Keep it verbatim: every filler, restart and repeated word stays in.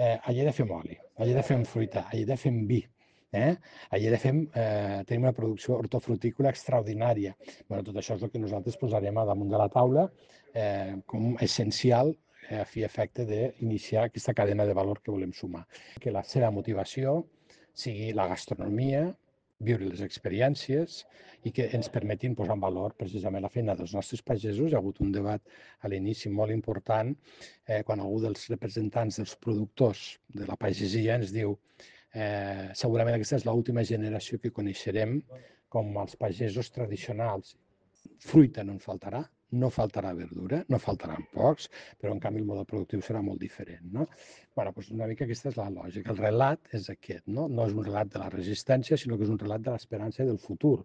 eh, a Lleida fem oli, a Lleida fem fruita, a Lleida fem vi. Eh? A Lleida fem, eh, tenim una producció hortofrutícola extraordinària. Bueno, tot això és el que nosaltres posarem a damunt de la taula eh, com essencial eh, a fi i efecte d'iniciar aquesta cadena de valor que volem sumar. Que la seva motivació sigui la gastronomia, viure les experiències i que ens permetin posar en valor precisament la feina dels nostres pagesos. Hi ha hagut un debat a l'inici molt important eh, quan algú dels representants dels productors de la pagesia ens diu eh, segurament aquesta és l'última generació que coneixerem com els pagesos tradicionals. Fruita no en faltarà, no faltarà verdura, no faltaran pocs, però en canvi el model productiu serà molt diferent. No? Bueno, doncs una mica aquesta és la lògica. El relat és aquest, no? No és un relat de la resistència, sinó que és un relat de l'esperança i del futur.